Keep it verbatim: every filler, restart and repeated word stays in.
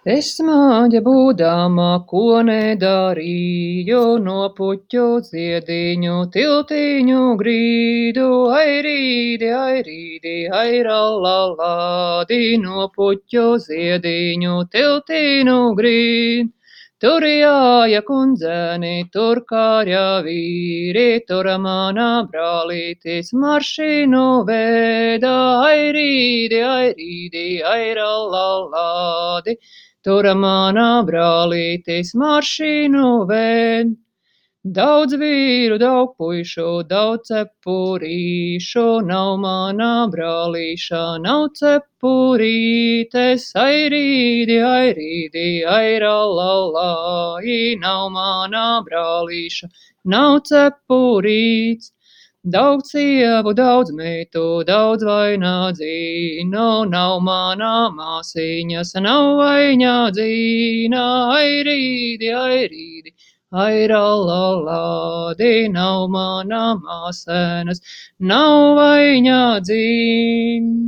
Es smāģa būdama, ko nedarīju, no puķu ziediņu tiltiņu grīdu, ai rīdi, ai rīdi, ai rallallādi, no puķu ziediņu tiltiņu grīdu. Tur jāja kundzēni, tur kārja vīri, tur manā brālītis maršīnu veda, ai rīdi, ai rīdi, ai rallallādi. Tur manā brālītis maršīnu ved. Daudz vīru, daudz puišu, daudz cepurīšu, nav manā brālīša, nav cepurītes, ai rīdi, ai rīdi, ai rallallāji, nav manā brālīša, nav cepurīts. Daudz sievu, daudz meitu, daudz vainādzīnu, nav manā māsiņas, nav vainādzīna, ai rīdi, ai rīdi. Ai rallallādi, nav manā māsēnas, nav vainādzīna.